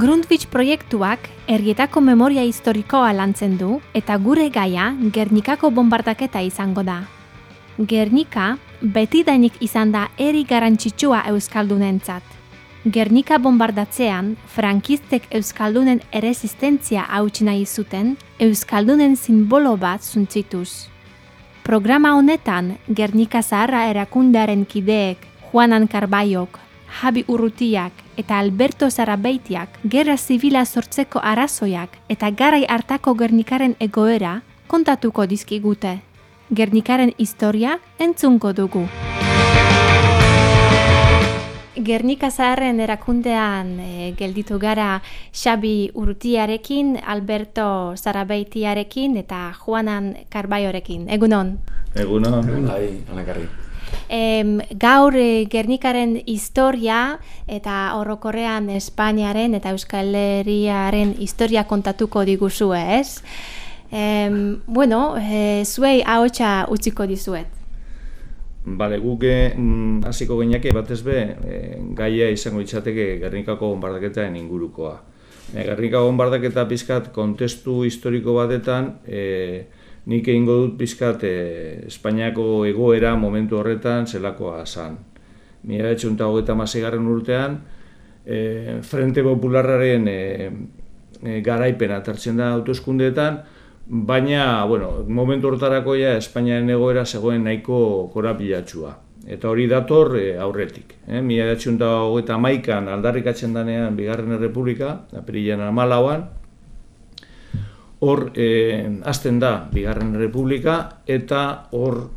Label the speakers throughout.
Speaker 1: Grundtvig proiektuak herrietako memoria historikoa lantzen du eta gure gaia Gernikako bombardaketa izango da. Gernika betidainik izan da herri garrantzitsua euskaldunentzat. Gernika bombardatzean frankistek euskaldunen erresistentzia hautsi nahi zuten euskaldunen sinbolo bat suntsituz. Programa honetan Gernika Zaharra erakundearen kideek Juanan Karbaiok, Javi Urrutiak eta Alberto Zarabeitiak gerra zibila sortzeko arrazoiak eta garai hartako Gernikaren egoera kontatuko dizkigute. Gernikaren historia entzungo dugu. Gernika Zaharren erakundean gelditu gara Xabi Urrutiarekin, Alberto Zarabeitiarekin eta Juanan Karbaiorekin. Egunon?
Speaker 2: Egunon, anakarri.
Speaker 1: Gaur Gernikaren historia eta orokorrean Espainiaren eta Euskal Herriaren historia kontatuko diguzue, ez? Zuei ahotsa utziko dizuet.
Speaker 2: Bale, guk hasiko gineake batez be gaia izango litzateke Gernikako bonbardaketaren ingurukoa. Gernikako bonbardaketa pizkat kontestu historiko batetan nik egingo dut pizkat Espainiako egoera momentu horretan zelakoa zan. 1936 urtean Frente Popularraren garaipena hartzen da hauteskundeetan, baina momentu horretarako Espainiaren egoera zegoen nahiko korapilatsua. Eta hori dator aurretik. 1931an aldarrikatzen denean Bigarren Errepublika, apirilaren 14an, hor hasten da Bigarren Errepublika eta hor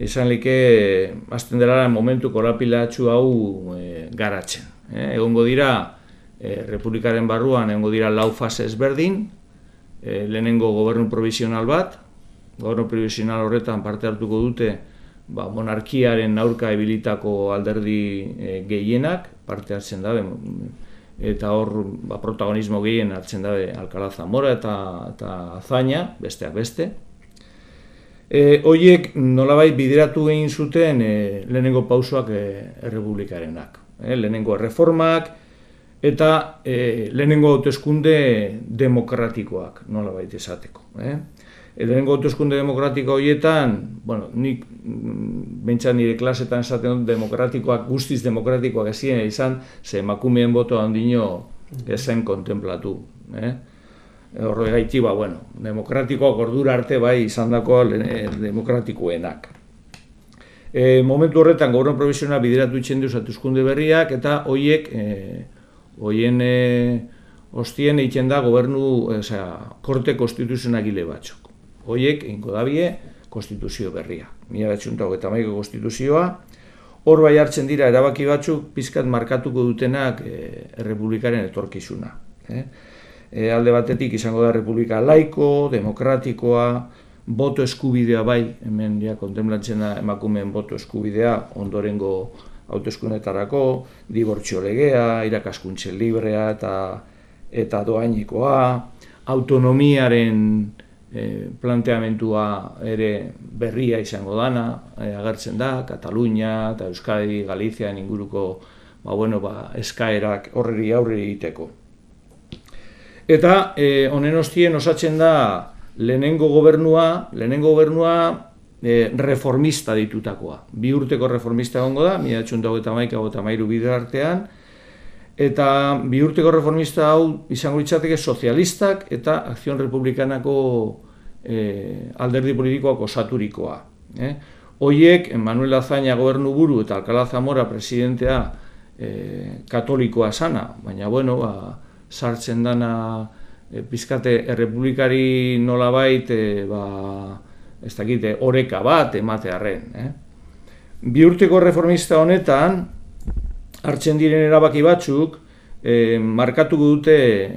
Speaker 2: izan like hasten dela momentu korapilatsu hau garatzen. Egongo dira Republikaren barruan egongo dira 4 fase ezberdin, lehenengo gobernu provisional bat, gobernu provisional horretan parte hartuko dute monarkiaren aurka ebilitako alderdi gehienak parte hartzen da, eta hor protagonismo gehien hartzen da Alcalá Zamora eta Azaña, besteak beste. Horiek nolabait bideratu egin zuten lehenengo pausoak errepublikarenak. Lehenengo erreformak eta lehenengo hauteskunde demokratikoak nolabait esateko. Lehenengo hauteskunde demokratiko horietan, nik behintzat nire klasetan esaten dut demokratikoak, guztiz demokratikoak ezien izan, ze emakumeen boto handino ezen kontemplatu. Horregaitik, demokratikoak ordura arte bai izan dako demokratikoenak. Momentu horretan gobernu provisionala bideratu itzen duz hauteskunde berriak eta hoien ostien egiten da korte konstituzionagile batzuk. Hoiek egingo dabie konstituzio berria. 1931ko konstituzioa, hor bai hartzen dira erabaki batzuk pizkat markatuko dutenak errepublikaren etorkizuna. Alde batetik izango da errepublika laiko, demokratikoa, boto eskubidea bai, hemen kontemplatzen da emakumeen boto eskubidea ondorengo hauteskundetarako, dibortzio legea, irakaskuntza librea eta dohainikoa, autonomiaren planteamentua ere berria izango dana, agertzen da, Katalunia eta Euskadi, Galizian inguruko eskaerak horreri aurre egiteko. Eta honen ostien osatzen da lehenengo gobernua reformista ditutakoa. 2 urteko reformista egongo da, 1931-1933 bide artean, eta 2 urteko reformista hau izango litzateke sozialistak eta Akzion Republikanako alderdi politikoak osaturikoa. Hoiek, Manuel Azaña gobernuburu eta Alcalá Zamora presidentea katolikoa sana, baina sartzen dana pizkate errepublikari nolabait oreka bat ematearren. 2 urteko reformista honetan hartzen diren erabaki batzuk markatuko dute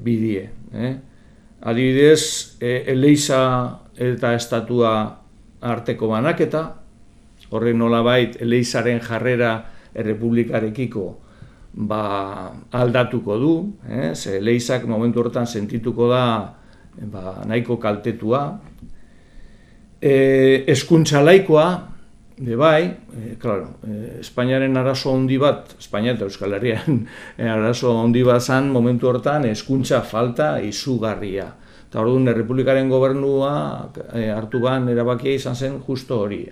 Speaker 2: bidie. Adibidez, Eleiza eta estatua arteko banaketa, horrek nolabait Eleizaren jarrera errepublikarekiko aldatuko du, ze Eleizak momentu horretan sentituko da nahiko kaltetua. Hezkuntza laikoa, Bai, Espainiaren arazo handi bat, Espainia eta Euskal Herrian arazo handi bat zan momentu hortan hezkuntza falta izugarria. Eta orduan, Errepublikaren gobernua hartu ban erabakia izan zen justo hori.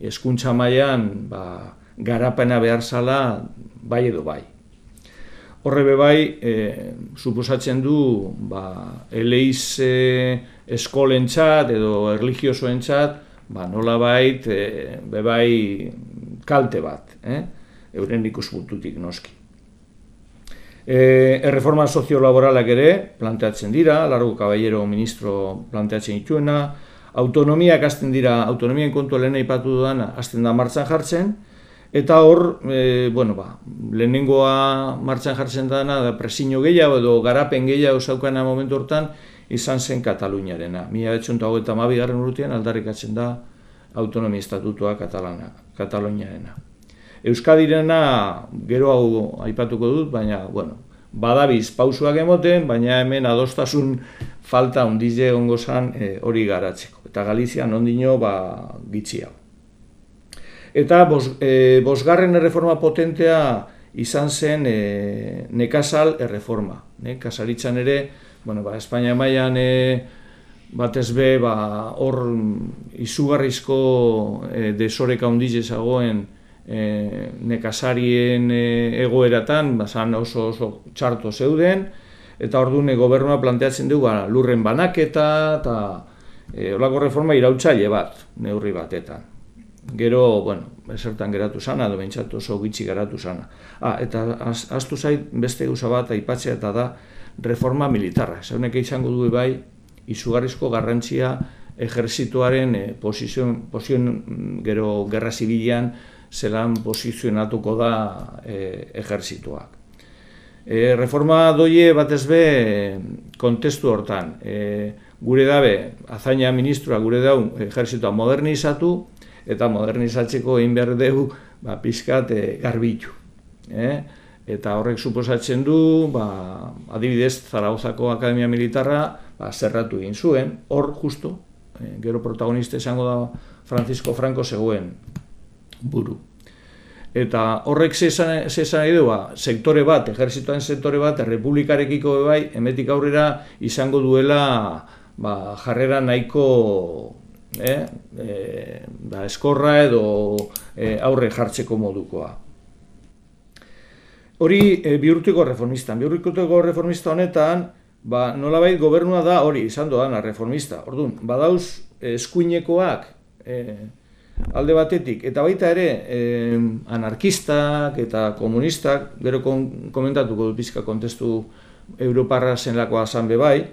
Speaker 2: Hezkuntza mailan garapena behar zala bai edo bai. Horre bai, suposatzen du eleiz eskolentzat edo erligiosoentzat nolabait bebai kalte bat, euren ikuspuntutik noski. Erreforma soziolaboralak ere planteatzen dira, Largo Caballero ministro planteatzen dituena, autonomiak hasten dira, autonomien kontua lehen aipatu dudana, hasten da martxan jartzen, eta hor, lehenengoa martxan jartzen dana, da presiño gehiago edo garapen gehiago zaukana momentu hortan, izan zen Kataluniarena. 1922 urtean aldarrikatzen da autonomia estatutua Kataluniarena. Euskadirena gero hau aipatuko dut, baina, badabiz pausuak emoten, baina hemen adostasun falta handize egongo zan hori garatzeko. Eta Galizian ondino gitxiago. Eta bosgarren erreforma potentea izan zen nekazal erreforma. Nekazaritzan ere, Espainia mailan batez be hor izugarrizko desoreka handize zagoen nekazarien egoeratan, oso txarto zeuden, eta orduan gobernua planteatzen du lurren banaketa, eta holako reforma irautzaile bat, neurri batetan. Gero, esertan geratu zana, edo behintzat oso gitxi geratu zana. Eta ahaztu zait beste gauza bat aipatzea eta da reforma militarra. Zaunek izango du bai, izugarrizko garrantzia ejerzituaren gero gerra zibilean zelan posizionatuko da ejerzituak. Reforma doie batez be kontestu hortan. Gure dabe, Azaña ministroa gure dau ejerzitua modernizatu, eta modernizatzeko egin behar dugu pixkat garbitu. Eta horrek suposatzen du, adibidez, Zaragozako Akademia Militarra zerratu egin zuen, hor justo, gero protagonista izango da Francisco Franco zegoen buru. Eta horrek zezan nahi du, sektore bat, ejerzituaren sektore bat, errepublikarekiko bai, hemetik aurrera izango duela jarrera nahiko eskorra edo aurre jartzeko modukoa. Hori bihurtuko reformista. Bihurtuko reformista honetan, nolabait gobernua da hori izan doana reformista. Orduan, badauz eskuinekoak alde batetik, eta baita ere anarkistak eta komunistak, gero komentatuko dut pizka kontestu europarra zenlakoa zan bebai,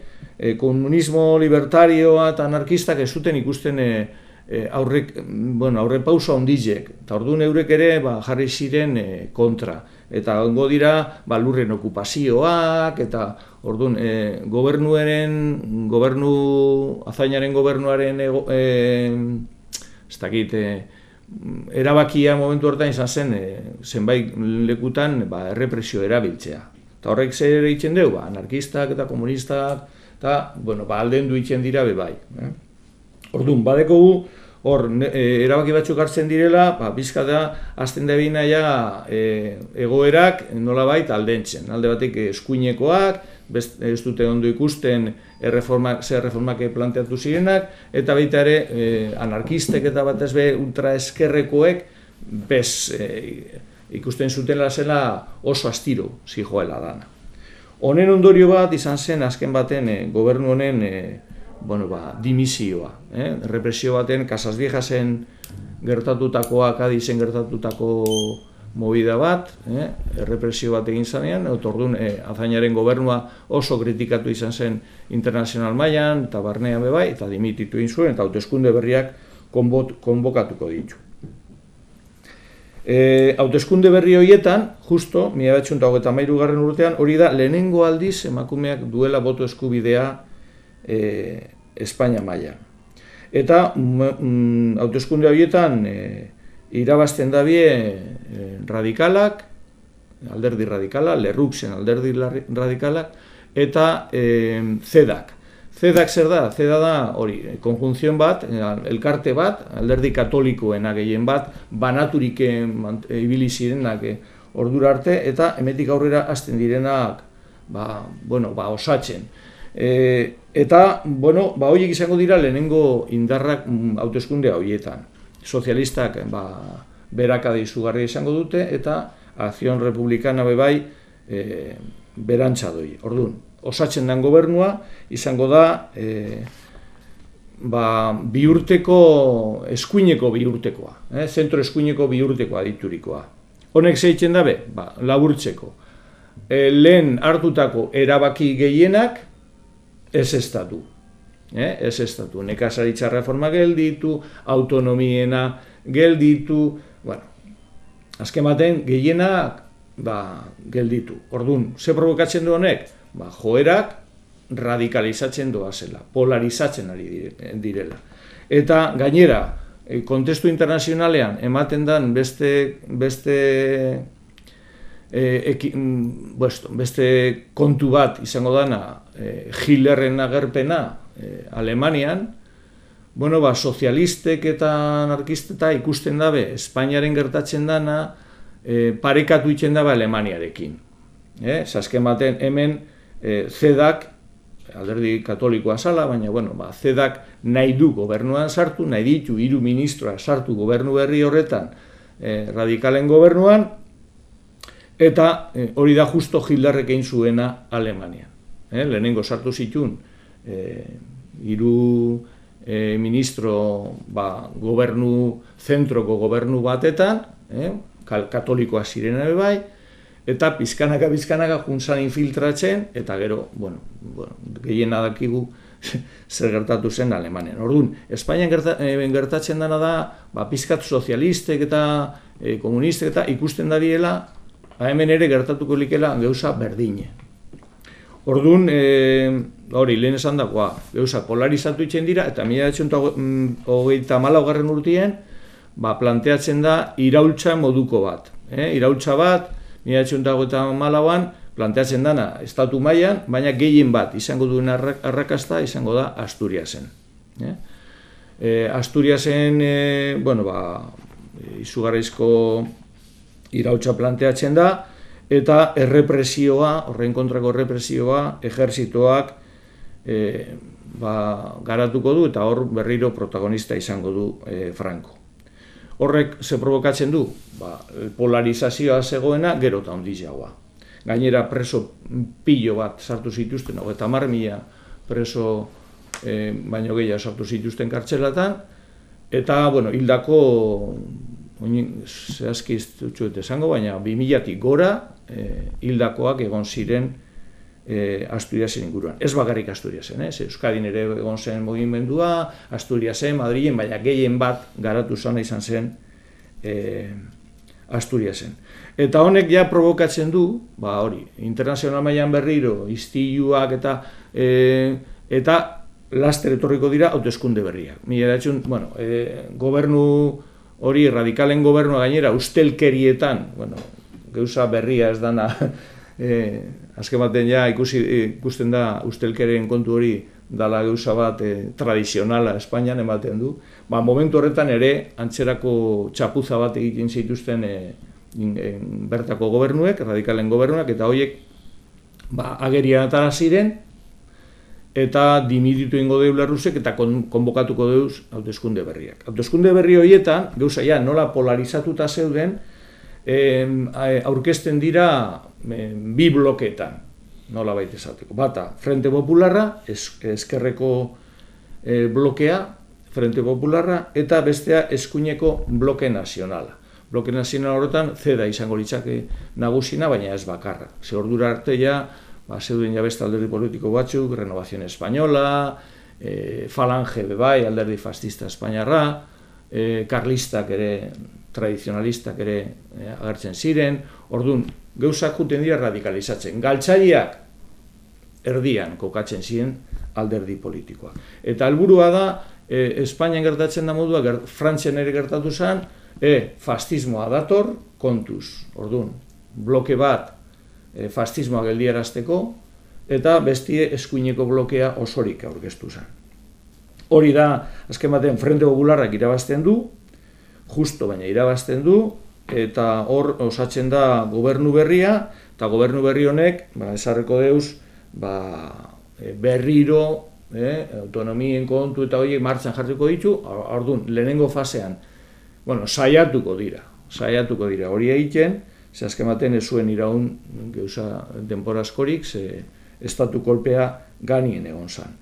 Speaker 2: komunismo libertarioa eta anarkistak ez zuten ikusten aurre pausa ondizek, eta orduan eurek ere jarri ziren kontra. Eta ongo dira lurren okupazioak, eta orduan Azañaren gobernuaren erabakia momentu hortan izan zen zenbait lekutan errepresio erabiltzea. Eta horrek zer egiten dugu, anarkistak eta komunistak, eta aldendu egiten dira bebai. Orduan, badekogu, hor, erabaki batzuk hartzen direla, bizka da, azten da binaia egoerak nolabait aldentzen. Alde batek eskuinekoak, ez dute ondo ikusten ze reformak planteatu zirenak, eta baita ere anarkistek eta batez be ultraeskerrekoek ikusten zutela zela oso astiro zijoela dana. Honen ondorio bat izan zen azken baten gobernu honen dimisioa. Represio baten Casas Viejasen gertatutakoa, Kadizen gertatutako movida bat, represio bat egin zanean, eta orduan Azañaren gobernua oso kritikatu izan zen internazional mailan eta barnean bebai, eta dimititu egin zuen, eta hauteskunde berriak konbokatuko ditu. Hauteskunde berri horietan, justo, 1923 urtean, hori da lehenengo aldiz emakumeak duela boto eskubidea Espainia mailan. Eta hauteskunde horietan irabazten dabie radikalak, alderdi radikala, Lerrouksen alderdi radikalak, eta CEDAK. CEDAK zer da? CEDA da hori, konjunzion bat, elkarte bat, alderdi katolikoena gehien bat, banaturik ibili zirenak ordura arte, eta hemetik aurrera hasten direnak osatzen. Eta, horiek izango dira lehenengo indarrak hauteskunde horietan. Sozialistak berakada izugarria izango dute, eta Acción Republicana bebai berantza doi. Orduan, osatzen den gobernua izango da eskuineko biurtekoa, zentro eskuineko biurtekoa diturikoa. Honek zeitzen dabe, laburtzeko. Lehen hartutako erabaki gehienak ez estatu. Nekazaritza reforma gelditu, autonomiena gelditu, azken baten gehienak gelditu. Orduan, ze provokatzen du honek? Joerak radikalizatzen doazela, polarizatzen ari direla. Eta gainera, kontestu internazionalean ematen den beste kontu bat izango dana Hitlerren agerpena Alemanian, sozialistek eta anarkisteta ikusten dabe Espainiaren gertatzen dana parekatu itzen dabe Alemaniarekin. Azken baten hemen CEDAK, alderdi katolikoa zala, baina CEDAK nahi du gobernuan sartu, nahi ditu 3 ministroa sartu gobernu berri horretan radikalen gobernuan, eta hori da justo Hitlerrek egin zuena Alemanian. Lehenengo sartu zituen 3 ministro zentroko gobernu batetan, katolikoa zirena bai, eta pizkanaka juntzan infiltratzen, eta gero, gehien dakigu zer gertatu zen Alemanian. Orduan, Espainian gertatzen dena da, pizkat sozialistek eta komunistek eta ikusten dariela, hemen ere gertatuko likela gauza berdine. Orduan, lehen esan dagoa, gauza polarizatu itzen dira, eta 1934 urtien, planteatzen da iraultza moduko bat. Iraultza bat, 1934an, planteatzen dana estatu mailan, baina gehien bat izango duen arrakasta izango da Asturiasen. Asturiasen, izugarrizko iraultza planteatzen da, eta horren kontrako errepresioa, ejerzitoak garatuko du, eta hor berriro protagonista izango du Franco. Horrek ze provokatzen du? Polarizazioa zegoena gero eta handiagoa. Gainera preso pilo bat sartu zituzten, 30.000 preso baino gehiago sartu zituzten kartzelatan, eta hildako, zehazki ez dut esango, baina 2000-tik gora hildakoak egon ziren Asturiasen inguruan. Ez bakarrik Asturiasen, Euskadin ere egon zen mugimendua, Asturiasen, Madrilen, baina gehien bat garatu zona izan zen Asturiasen. Eta honek ja provokatzen du, internazional mailan berriro, istiluak eta laster etorriko dira hauteskunde berriak. Gobernu hori, radikalen gobernua gainera, ustelkerietan, gauza berria ez dana, azken baten ja ikusten da ustelkerien kontu hori dala gauza bat tradizionala Espainian ematen du. Momentu horretan ere, antzerako txapuza bat egiten zituzten bertako gobernuek, radikalen gobernuak, eta horiek agerian atara ziren, eta dimiditu ingo deula Rusek eta konbokatuko deuz hauteskunde berriak. Hauteskunde berri horietan, gauza nola polarizatuta zeuden, aurkezten dira 2 blokeetan, nola baita esateko. Bata, Frente Popularra, ezkerreko blokea, Frente Popularra, eta bestea eskuineko bloke nazionala. Bloke nazionala horretan, CEDA izango litzake nagusina, baina ez bakarra. Ze ordura arte zeuden beste alderdi politiko batzuk, Renovación Española, Falange bebai, alderdi fascista espainiarra, karlistak ere, tradizionalistak ere agertzen ziren, orduan, gauzak juten dira radikalizatzen. Galtzaileak erdian kokatzen ziren alderdi politikoa. Eta helburua da, Espainian gertatzen da modua, Frantzian ere gertatu zen, fascismoa dator, kontuz. Orduan, bloke bat fascismoa geldiarazteko, eta bestie eskuineko blokea osorik aurkeztu zen. Hori da, azken batean, Frente Popularrak irabazten du, justo baina irabazten du, eta hor osatzen da gobernu berria, eta gobernu berri honek, esarreko deuz, berriro, autonomien kontu eta horiek martxan jarriko ditu, orduan, lehenengo fasean, saiatuko dira hori egiten, ze azken baten ez zuen iraun geuza denbora askorik, ze estatu kolpea ganien egon zen.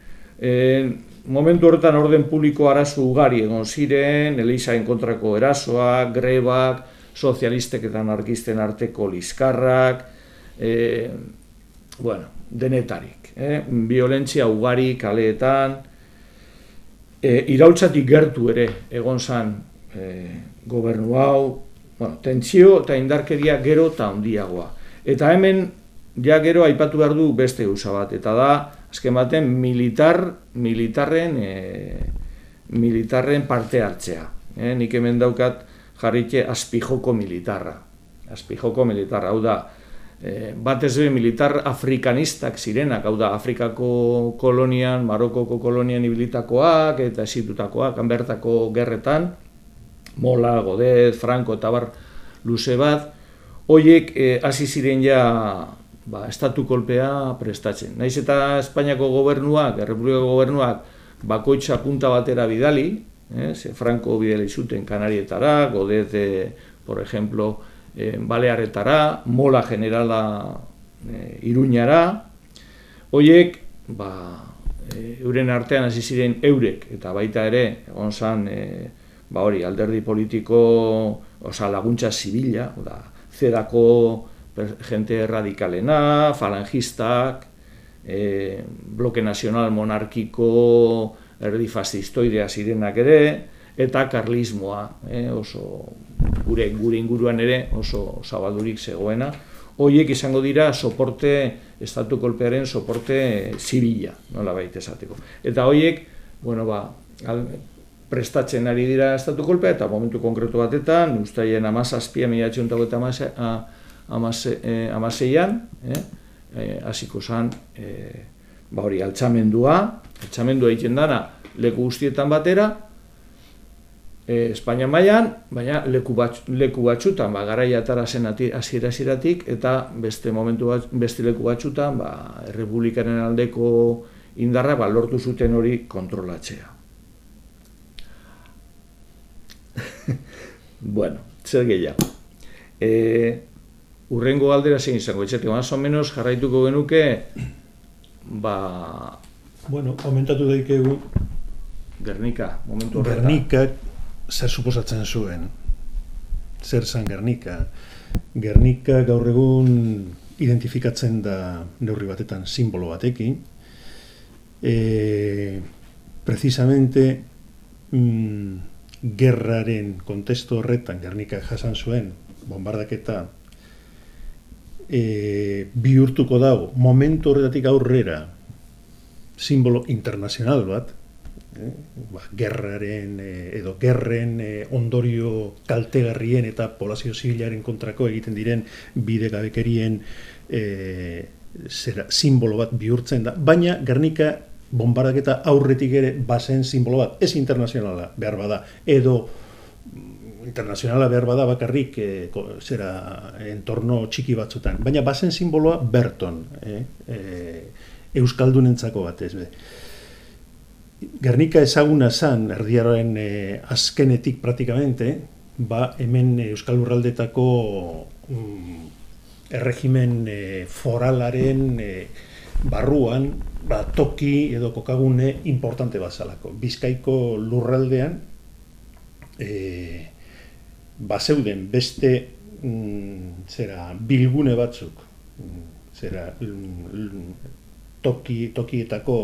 Speaker 2: Momentu horretan orden publiko arazo ugari egon ziren, Elizaen kontrako erasoak, grebak, sozialistek eta anarkisten arteko liskarrak, denetarik. Violentzia ugari kaleetan, iraultzatik gertu ere egon zen gobernu hau, tentsio eta indarkeria gero eta handiagoa. Eta hemen ja gero aipatu behar du beste gauza bat, eta da, azken baten, militarren parte hartzea. Nik hemen daukat jarritxe azpijoko militarra. Azpijoko militarra, hau da, batez be militar afrikanistak zirenak, hau da, Afrikako kolonian, Marokoko kolonian ibilitakoak eta esitutakoak, hanbertako gerretan, Mola, Godez, Franco eta bar luze bat, horiek hasi ziren ja estatu kolpea prestatzen. Naiz eta Espainiako gobernuak, Errepublikako gobernuak, bakoitza punta batera bidali, Franco bidali zuten Kanarietara, Godez, por ejemplo, Balearetara, Mola generala Iruñara, horiek, euren artean hasi ziren eurek, eta baita ere, egon zan, alderdi politiko, laguntza zibila, zerako gente radikalena, falangistak, bloke nazional monarkiko erdi fascistoidea zirenak ere, eta karlismoa, gure inguruan ere oso zabaldurik zegoena. Horiek izango dira estatu kolpearen soporte zibila, nola baita esateko. Eta horiek, prestatzen ari dira estatu kolpea, eta momentu konkretu batetan, ustaien 17/18/16an, hasiko zen, altxamendua egiten dana leku guztietan batera, Espainia mailan, baina leku batzutan, garaiatara zen hasiera-hasieratik, eta beste leku batzutan, errepublikaren aldeko indarra lortu zuten hori kontrolatzea. Zer gehiago. Urrengo galdera zein izango, etxetik, más o menos jarraituko genuke,
Speaker 3: komentatu daikegu
Speaker 2: Gernika, momentu horretan.
Speaker 3: Gernikak zer suposatzen zuen, zer zan Gernika. Gernika gaur egun identifikatzen da neurri batetan simbolo batekin. Precisamente gerraren kontestu horretan Gernika jasan zuen bombardaketa bihurtuko dago momentu horretatik aurrera simbolo internazional bat, gerraren edo gerren ondorio kaltegarrien eta poblazio zibilaren kontrako egiten diren bidegabekerien simbolo bat bihurtzen da, baina Gernika bombardaketa aurretik ere bazen simbolo bat, ez internazionala behar bada, edo internazionala behar bada bakarrik entorno txiki batzutan, baina bazen simboloa berton, euskaldunentzako batez be. Gernika ezaguna zan, erdiaroen azkenetik praktikamente, hemen Euskal Lurraldetako erregimen foralaren barruan, toki edo kokagune importante bazalako. Bizkaiko lurraldean bazeuden beste bilgune batzuk, tokietako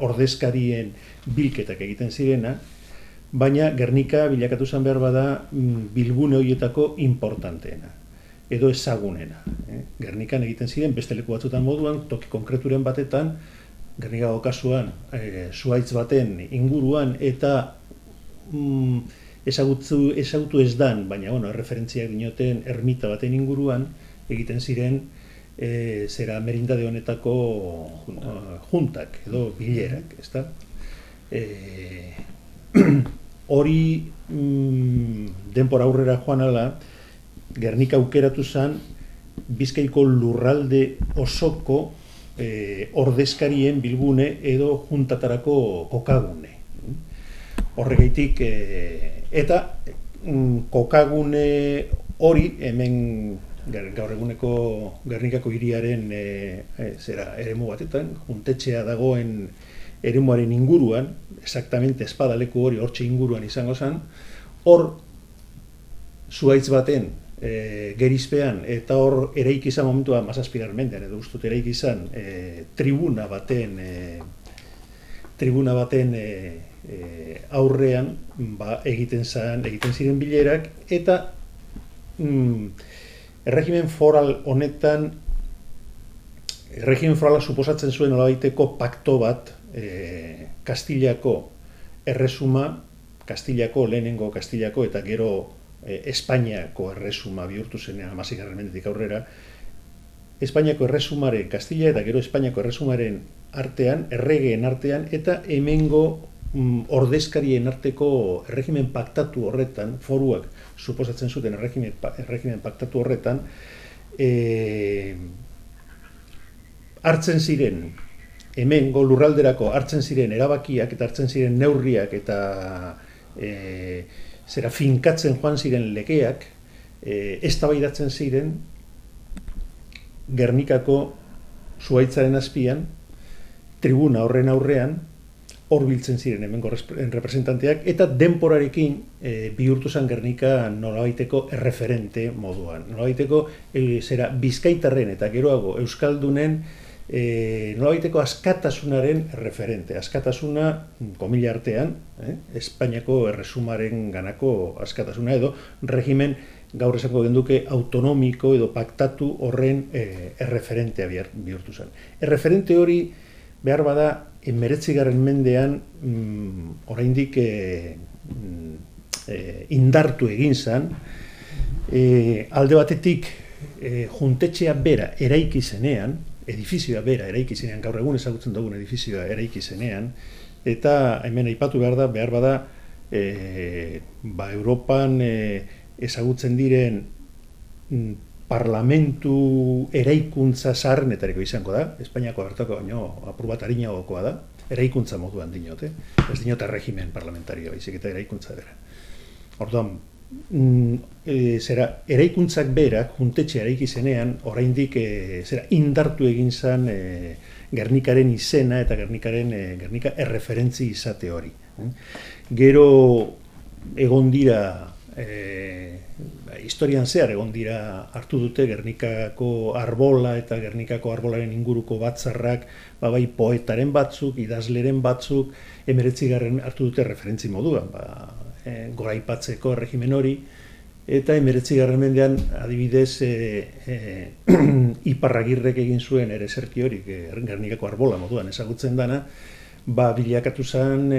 Speaker 3: ordezkarien bilketak egiten zirena, baina Gernika bilakatu zen behar bada bilgune horietako importanteena, edo ezagunena. Gernikan egiten ziren beste leku batzutan moduan, toki konkreturen batetan, Gernikako kasuan zuhaitz baten inguruan, eta ezagutu ez dan, baina erreferentziak dinoten ermita baten inguruan, egiten ziren zera merindade honetako juntak edo bilerak, ezta? Hori denbora aurrera joan ala, Gernika aukeratu zen Bizkaiko lurralde osoko ordezkarien bilgune edo juntatarako kokagune. Horregaitik, eta kokagune hori hemen gaur eguneko Gernikako hiriaren eremu batetan, juntetxea dagoen eremuaren inguruan, exactamente espadaleku hori hortxe inguruan izango zen, hor zuhaitz baten gerizpean, eta hor eraiki izan momentua mazazpigarmendean, edo ustut eraiki izan tribuna baten aurrean egiten ziren bilerak, eta erregimen foral honetan, erregimen forala suposatzen zuen nolabaiteko pakto bat Kastilako erresuma, lehenengo Kastilako eta gero Espainiako erresuma bihurtu zenean 16. mendetik aurrera, Espainiako erresumaren, Kastila eta gero Espainiako erresumaren artean, erregeen artean, eta hemengo ordezkarien arteko erregimen paktatu horretan, foruak suposatzen zuten erregimen paktatu horretan, hartzen ziren, hemengo lurralderako hartzen ziren erabakiak eta hartzen ziren neurriak eta finkatzen joan ziren legeak, eztabaidatzen ziren Gernikako zuhaitzaren azpian, tribuna horren aurrean, hor biltzen ziren hemengo representanteak, eta denporarekin bihurtu zen Gernika nolabaiteko erreferente moduan. Nolabaiteko bizkaitarren eta geroago euskaldunen nolabaiteko askatasunaren referente. Askatasuna, komila artean, Espainiako erresumaren ganako askatasuna, edo regimen gaur esango genduke autonomiko edo paktatu horren erreferentea bihurtu zen. Erreferente hori behar bada 19. mendean oraindik indartu egin zen, alde batetik juntetxea bera eraiki zenean, edifizioa bera eraiki zenean, gaur egun ezagutzen dugun edifizioa eraiki zenean, eta hemen aipatu behar bada Europan ezagutzen diren parlamentu eraikuntza zaharrenetariko izango da, Espainiako hartako baino apur bat arinagokoa da, eraikuntza moduan dinot, ez dinot erregimen parlamentario, baizik eta eraikuntza bera. Orduan, eraikuntzak berak, juntetxe eraiki zenean, oraindik indartu egin zen Gernikaren izena eta Gernika erreferentzi izate hori. Gero egon dira, historian zehar egon dira hartu dute Gernikako arbola eta Gernikako arbolaren inguruko batzarrak, bai poetaren batzuk, idazleren batzuk, 19. hartu dute referentzi moduan, goraipatzeko erregimen hori, eta 19. mendean adibidez Iparragirrek egin zuen ere zerki hori, Gernikako arbola moduan ezagutzen dana, bilakatu zen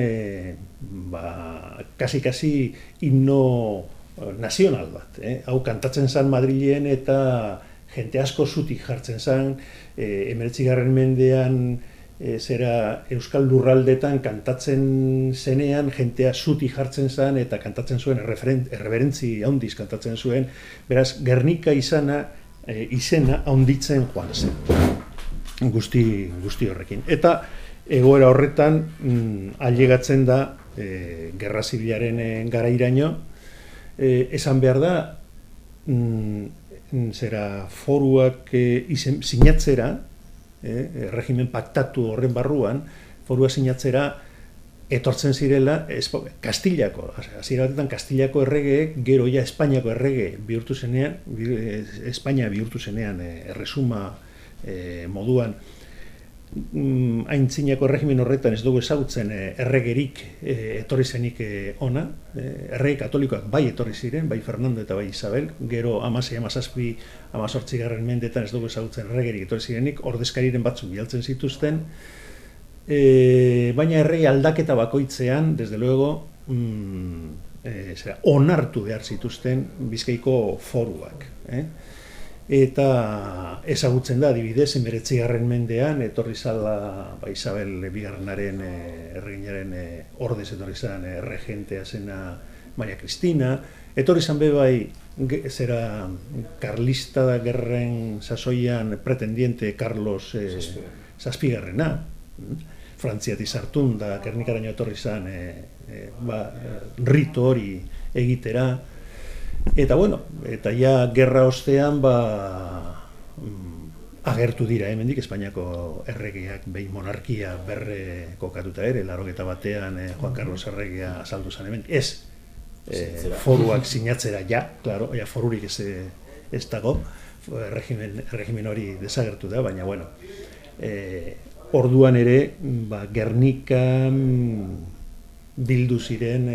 Speaker 3: kasi himno nazional bat. Hau kantatzen zen Madrilen eta jente asko zutik jartzen zen, 19. mendean euskal lurraldetan kantatzen zenean jentea zutik jartzen zen eta kantatzen zuen erreberentzi handiz kantatzen zuen, beraz Gernika izena handitzen joan zen guzti horrekin. Eta egoera horretan ailegatzen da Gerra Zibilaren garairaino, esan behar da foruak sinatzera, regimen paktatu horren barruan, forua sinatzera etortzen zirela Kastilako, hasiera batetan Kastilako erregeek, gero ja Espainiako errege bihurtu zenean, Espainia bihurtu zenean erresuma moduan, aintzinako erregimen horretan ez dugu ezagutzen erregerik etorri zenik ona, errege katolikoak bai etorri ziren, bai Fernando eta bai Isabel, gero 16, 18. mendetan ez dugu ezagutzen erregerik etorri zirenik, ordezkariren batzuk bialtzen zituzten, baina errege aldaketa bakoitzean, desde luego, onartu behar zituzten Bizkaiko foruak. eta ezagutzen da, adibidez, 19. mendean, etorri zala Isabel Bigarrenaren erreginaren ordez etorri zan regentea zena Maria Cristina, etorri zan bai zera karlista da gerren sasoian pretendiente Carlos Zazpigarrena, Frantziatik sartun da Gernikaraino etorri zan rito hori egitera, eta bueno, eta ja gerra ostean agertu dira hemendik Espainiako erregeak behin monarkia berre kokatuta ere, 81 Juan Carlos erregea azaldu zen hemen, foruak sinatzera claro, forurik ez dago, regimen hori desagertu da, baina bueno, orduan ere, Gernikan bildu ziren,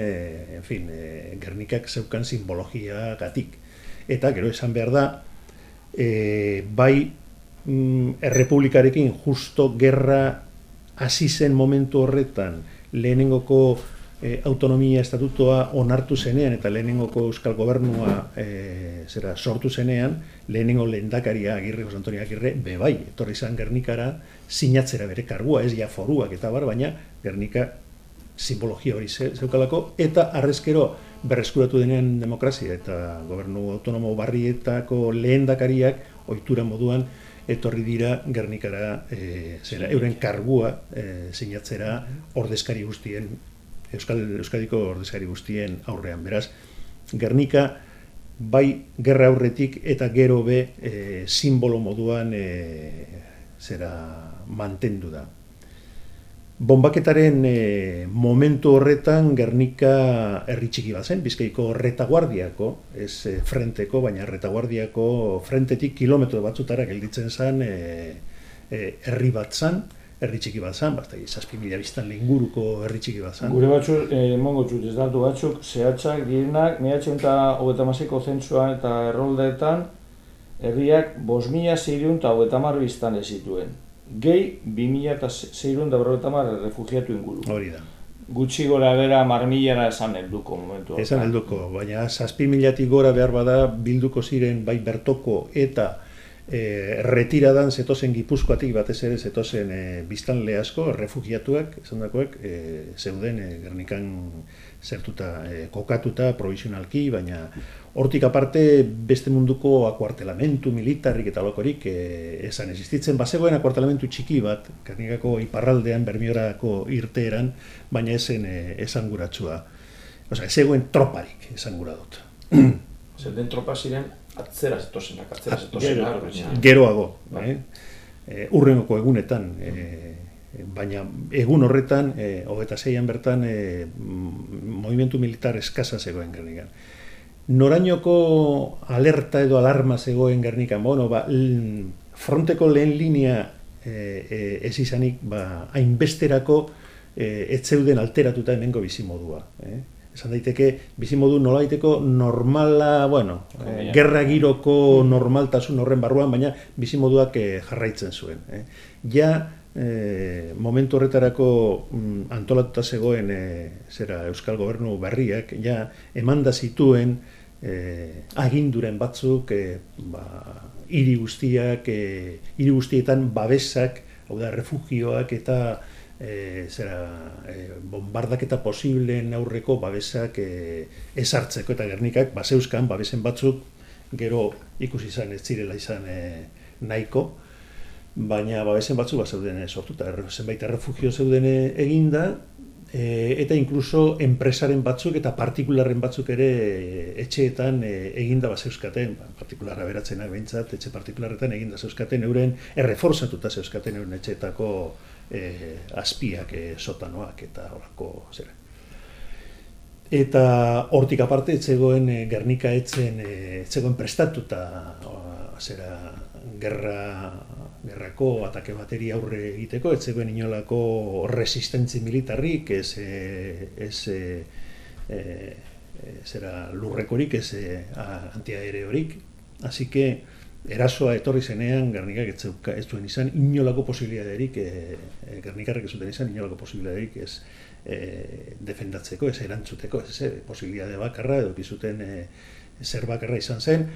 Speaker 3: Gernikak zeukan simbologia gatik. Eta, gero esan behar da, bai errepublikarekin justo gerra hasi zen momentu horretan, lehenengoko autonomia estatutoa onartu zenean eta lehenengoko euskal gobernua sortu zenean, lehenengo lehendakaria Jose Antonio Agirre bai, etorri zan Gernikara sinatzera bere kargua, ez ja foruak eta baina Gernika simbologia hori zeukalako, eta arrezkero berreskuratu denean demokrazia eta gobernu autonomo barrietako lehendakariak ohitura moduan etorri dira Gernikara euren kargua sinatzera ordezkari guztien, Euskadiko ordezkari guztien aurrean. Beraz, Gernika bai gerra aurretik eta gero be simbolo moduan mantendu da. Bonbaketaren momentu horretan Gernika herri txiki bat zen, Bizkaiko retaguardiako, ez frenteko, baina retaguardiako frentetik kilometro batzutara gelditzen zen herri bat zen, herri txiki bat zen, 7.000 biztanle inguruko herri txiki bat zen.
Speaker 2: Gure batzuk, emongo txut, ez datu batzuk, zehatzak direnak, 1936ko zentzuan eta erroldeetan, herriak 5.630 biztanle zituen. Gehi 2.630 refugiatu inguru.
Speaker 3: Hori da.
Speaker 2: Gutxi gora bera 10.000 esan helduko momentu.
Speaker 3: Esan helduko, baina 7.000 gora behar bada bilduko ziren bai bertoko eta retiradan zetozen Gipuzkoatik batez ere zetozen biztanle asko, refugiatuak, esan dakoek, zeuden Gernikan zertuta, kokatuta, provisionalki, baina hortik aparte beste munduko akuartelamentu militarrik eta lokorik esan existitzen. Bazegoen akuartelamentu txiki bat, Gernikako iparraldean, Bermiorako irteeran, baina esen esanguratsua. Osea, ez zegoen troparik esangura dut.
Speaker 4: Zerden tropa ziren atzera zetozenak.
Speaker 3: Geroago. Urrengoko egunetan, baina egun horretan, 26an bertan, movimentu militar eskasa zegoen Gernikan. Norainoko alerta edo alarma zegoen Gernikan, fronteko lehen linea ez izanik, hainbesterako ez zeuden alteratuta hemengo bizimodua. Esan daiteke, bizimodu nolaiteko normala, gerra giroko normaltasun horren barruan, baina bizimoduak jarraitzen zuen. Momentu horretarako antolatuta zegoen Euskal Gobernu berriak, emanda zituen aginduren batzuk hiri guztietan babesak, hau da, refugioak eta bombardaketa posibleen aurreko babesak ezartzeko, eta Gernikak bazeuzkan babesen batzuk gero ikusi izan ez zirela izan nahiko, baina babesen batzuk zeuden sortuta, zenbait errefugio zeuden eginda, eta inkluso enpresaren batzuk eta partikularren batzuk ere etxeetan eginda bazeuzkaten, partikularra beratzenak behintzat, etxe partikularretan eginda zeuzkaten euren, erreforzatuta zeuzkaten euren etxeetako azpiak, sotanoak eta horako zera. Eta hortik aparte etzegoen Gernika etzegoen prestatuta gerrako atake bateri aurre egiteko, etzegoen inolako resistentzi militarrik, lurrekorik, antiaereorik, así que erasoa etorri zenean Gernikak ez zuen izan inolako posibilitaterik, Gernikarrek ez zuten izan inolako posibilitaterik ez defendatzeko, ez erantzuteko, ez posibilitate bakarra, edo zuten zer bakarra izan zen,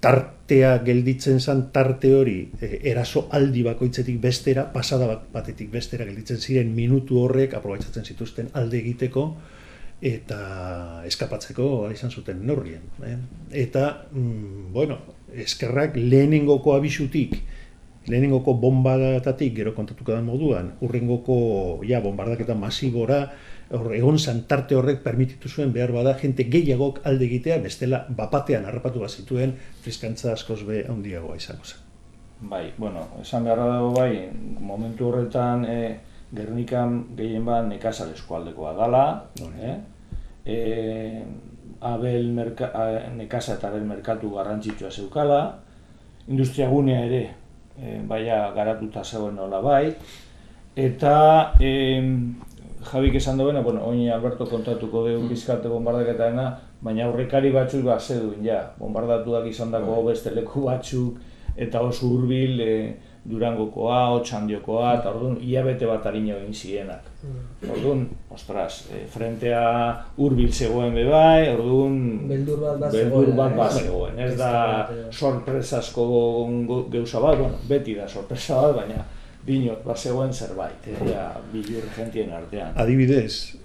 Speaker 3: tartea gelditzen zen, tarte hori eraso aldi bakoitzetik bestera, pasada batetik bestera gelditzen ziren minutu horrek aprobetxatzen zituzten alde egiteko eta eskapatzeko izan zuten neurrien. Eta, bueno, eskerrak lehenengoko abisutik, lehenengoko bombardatatik, gero kontatuko den moduan, urrengoko bombardaketa masibora, egon zan tarte horrek permititu zuen behar bada jente gehiagok alde egitea, bestela bapatean harrapatu bat zituen friskantza askoz be handiagoa izango zen.
Speaker 2: Bai, bueno, esan beharra dago bai, momentu horretan Gernikan gehien bat nekazal eskualdekoa dala, nekaza eta abel merkatu garrantzitsua zeukala, industriagunea ere baina garatuta zegoen nola bai, eta Jabik esan duena, oin Alberto kontatuko dugu bizkate bombardaketaena, baina aurrekari batzuk zeduen, bombardatuak izan dako beste leku batzuk, eta oso hurbil Durangokoa, Otxandiokoa, eta orduan hilabete bat arino egin zirenak. Orduan, ostras, frentea hurbil zegoen bebai, orduan beldur bat bat zegoen. Ez da sorpresasko gauza bat, beti da sorpresa bat, baina dinot, bat zegoen zerbait, bilur gentien artean.
Speaker 3: Adibidez,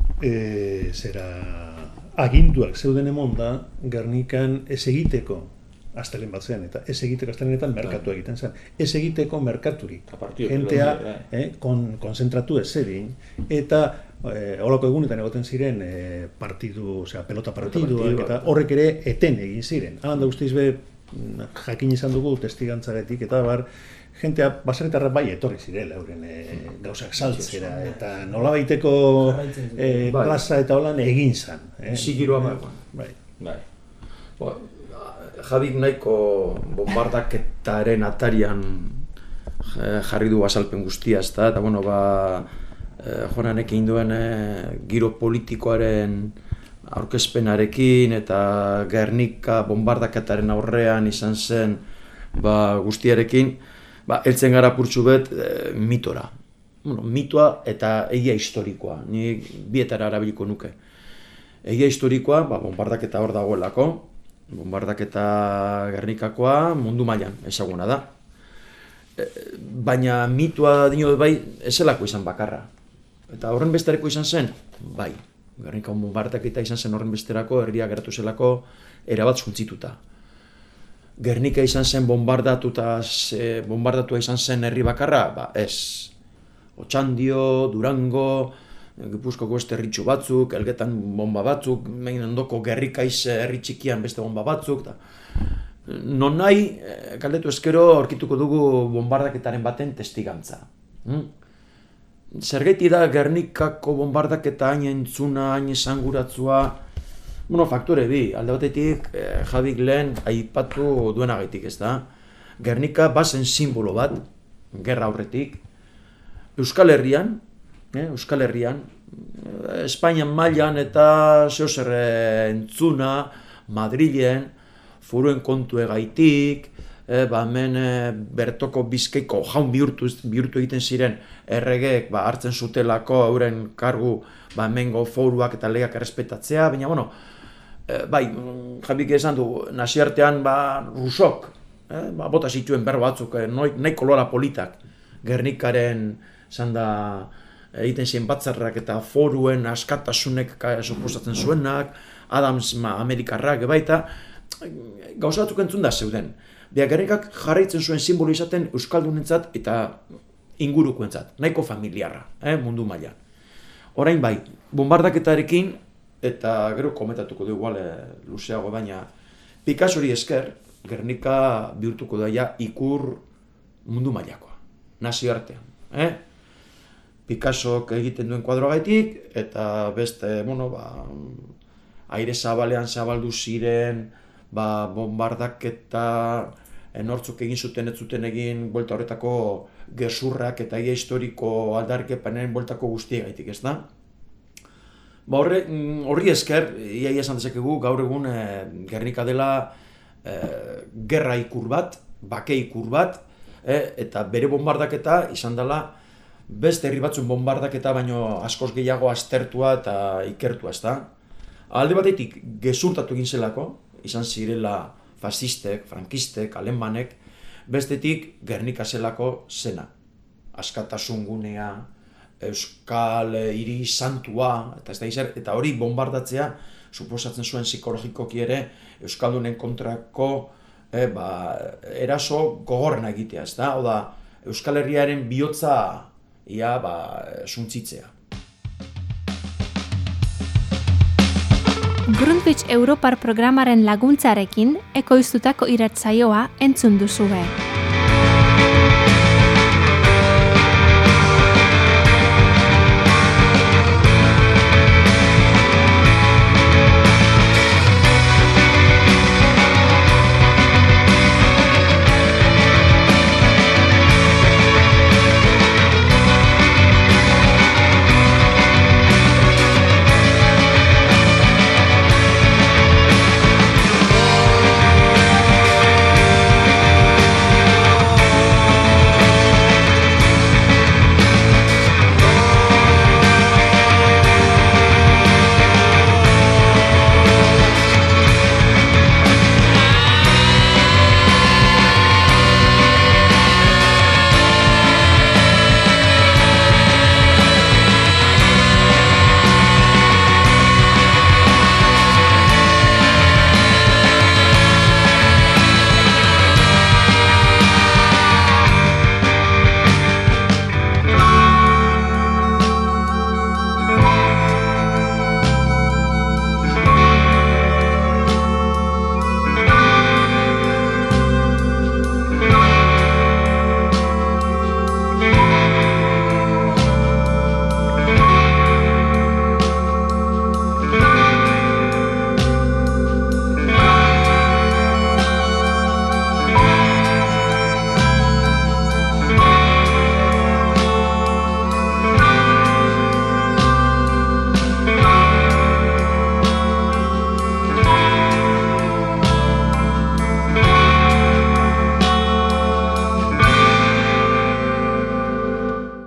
Speaker 3: aginduak zeuden emon da, Gernikan ez egiteko astelen bat zen, eta ez egiteko astelenetan merkatu egiten zen. Ez egiteko merkaturik. Gentea konzentratu ez zedin, eta holako egunetan egoten ziren pelota partiduak, eta horrek ere eten egin ziren. Halan da guztiz be, jakin izan dugu testigantzaretik, eta jentea baserritarra bai etorri zirela euren gauzak saltzera, eta nolabaiteko plaza eta holan egin zan.
Speaker 4: Sigiroa bai. Jabik nahiko bombardaketaren atarian jarri du azalpen guztia, eta Jonanek egin duen giro politikoaren aurkezpenarekin eta Gernika bombardaketaren aurrean izan zen guztiarekin, heltzen gara purtsu bet mitora. Mitoa eta egia historikoa, ni bietara erabiliko nuke. Egia historikoa, bombardaketa hor dagoelako, bombardaketa Gernikakoa mundu mailan ezaguna da. Baina mitoa dio bai ezelako izan bakarra. Eta horren besterako izan zen, bai. Gernika bombardaketa izan zen horren besterako, herria geratu zelako erabat suntzituta. Gernika izan zen bombardatua izan zen herri bakarra, ez. Otxandio, Durango, Gipuzkoako beste herritxu batzuk, Elgetan bomba batzuk, megin ondoko Gerrikaiz herri txikian beste bomba batzuk. Non nahi, galdetu eskero aurkituko dugu bombardaketaren baten testigantza. Zergaiti da Gernikako bombardaketa hain entzuna, hain esanguratzua, faktore bi, alde batetik Jabik lehen aipatu duenagatik, ez da? Gernika bazen simbolo bat, gerra aurretik, Euskal Herrian, Espainian mailan eta zeozer entzuna, Madrilen, furuen kontu egaitik, hemen bertoko Bizkaiko jaun bihurtu egiten ziren erregeek hartzen zutelako euren kargu hemengo foruak eta legeak errespetatzea, baina bai, Jabik esan du, naziartean Rusok, bota zituen berro batzuk, nahi kolora politak, Gernikaren zan da egiten ziren batzarrak eta foruen askatasunek suposatzen zuenak, Adams Amerikarrak baita, gauza batzuk entzun da zeuden. Gernikak jarraitzen zuen simbolo izaten euskaldunentzat eta ingurukoentzat, nahiko familiarra, mundu mailan. Orain bai, bombardaketarekin, eta gero komentatuko dugu luzeago, baina Picassori esker, Gernika bihurtuko daia ikur mundu mailakoa, nazioartean. Picassok egiten duen kuadroagaitik, eta beste, aire zabalean zabaldu ziren, bombardaketa nortzuk egin zuten ez zuten egin buelta horretako gezurrak eta egia historiko aldarrikepenen bueltako guztiegaitik, ez da? Horri esker, ia esan dezakegu, gaur egun Gernika dela gerra ikur bat, bake ikur bat, eta bere bombardaketa izan dela beste herri batzun bombardaketa baino askoz gehiago aztertua eta ikertua, ez da? Alde batetik gezurtatu egin zelako, izan zirela fasistek, frankistek, alemanek, bestetik Gernika zelako zena. Askatasun gunea, euskal hiri santua, eta hori bombardatzea, suposatzen zuen psikologikoki ere, euskaldunen kontrako eraso gogorrena egitea, ez da? Oda, Euskal Herriaren bihotza suntzitzea.
Speaker 1: Grundtvig Europar programaren laguntzarekin ekoiztutako irratsaioa entzun duzue.